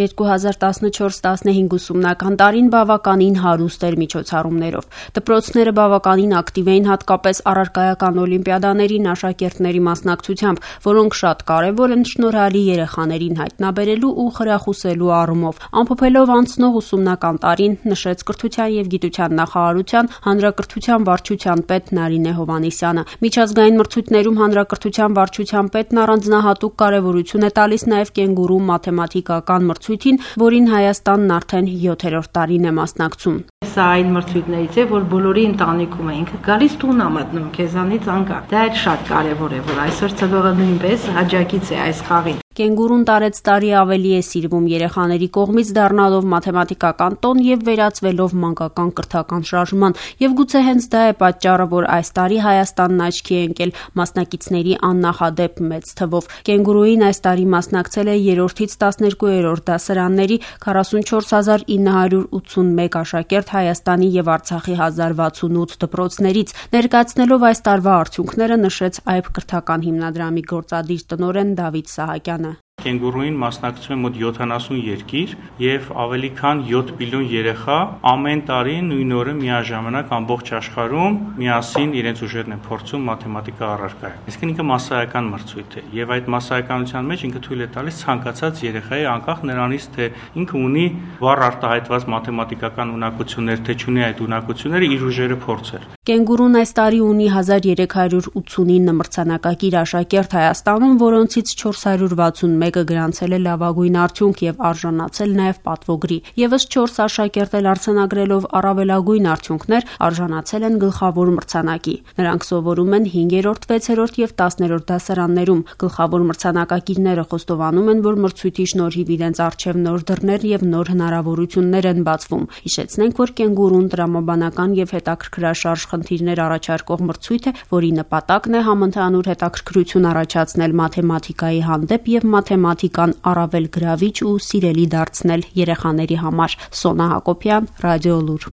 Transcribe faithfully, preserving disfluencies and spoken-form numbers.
երկու հազար տասնչորս տասնհինգ ուսումնական տարին բավականին հարուստ էր միջոցառումներով։ Դպրոցները բավականին ակտիվ էին հատկապես առարկայական օլիմպիադաներին աշակերտների մասնակցությամբ, որոնք շատ կարևոր են շնորհալի երեխաներին հայտնաբերելու ու խրախուսելու առումով։ Ամփոփելով անցնող ուսումնական տարին, նշեց Կրթության և գիտության նախարարության հանրակրթության վարչության պետ Նարինե Հովհաննիսյանը։ Միջազգային մրցույթներում հանրակրթության վարչության պետն առանձնահատուկ կարևորություն է տալիս նաև կենգուրու մաթեմատիկական մրցույթին, որին Հայաստանն արդեն յոթերորդ տարին է մասնակցում։ Սա այն մրցույթներից է, որ բոլորի ընտանիքում է ինքը գալիս տուն ա մտնում, քեզանից անկախ։ Դա էլ շատ կարևոր է, որ այսօր ծնողը նույնպես աջակից է այս խաղին։ Կենգուրուն տարեց տարի ավելի է սիրվում երեխաների կողմից, դառնալով մաթեմատիկական տոն եւ վերածվելով մանկական կրթական շարժման։ Եվ գուցե հենց դա է պատճառը, որ այս տարի Հայաստանն աչքի է ընկել մասնակիցների աննախադեպ մեծ թվով։ Կենգուրուին այս տարի մասնակցել է երրորդից տասներկուերորդ դասարանների քառասունչորս հազար ինը հարյուր ութսունմեկ աշակերտ Հայաստանի եւ Արցախի հազար վաթսունութ դպրոցներից։ Ներկայացնելով այս տարվա արդյունքները, նշեց Այբ կրթական հիմնադրամի գործադիր տնօրեն Դավիթ Սահակյանը։ Կենգուրուին մասնակցում է մոտ յոթանասուն երկիր եւ ավելի քան յոթ միլիոն երեխա ամեն տարի նույն օրը միաժամանակ ամբողջ աշխարհում միասին իրենց ուժերն են փորձում մաթեմատիկա առարկայում։ Իսկ ինքը մասսայական մրցույթ է եւ այդ մասսայականության մեջ ինքը թույլ է տալիս ցանկացած երեխայի անկախ նրանից թե ինքը ունի վառ արտահայտված մաթեմատիկական ունակություններ, թե չունի այդ ունակությունները, իր ուժերը փորձել։ Կենգուրուն այս տարի ունի հազար երեք հարյուր ութսունինը մրցանակակիր աշակերտ Հայաստանում, որոնցից չորս հարյուր վաթսունմեկը գրանցել է լավագույն արդյունք եւ արժանացել նաեւ պատվոգրի։ Եվս չորս աշակերտ էլ արձանագրելով առավելագույն արդյունքներ արժանացել են գլխավոր մրցանակի։ Նրանք սովորում են հինգերորդ, վեցերորդ եւ տասներորդ դասարաններում։ Գլխավոր մրցանակակիրները խոստովանում են, որ մրցույթի շնորհիվ իրենց առջեւ նոր դռներ եւ նոր հնարավորություններ են բացվում։ Հիշեցնենք, որ կենգուրուն տրամաբանական եւ հետաքրքրաշարժ խնդիրներ առաջարկող մրցույթ է, որի նպատակն է համընդհանուր հետաքրքրություն առաջացնել մաթեմատիկայի հանդեպ եւ մաթեմատիկան առավել գրավիչ ու սիրելի դարձնել երեխաների համար։ Սոնա Հակոբյան, Ռադիոլուր։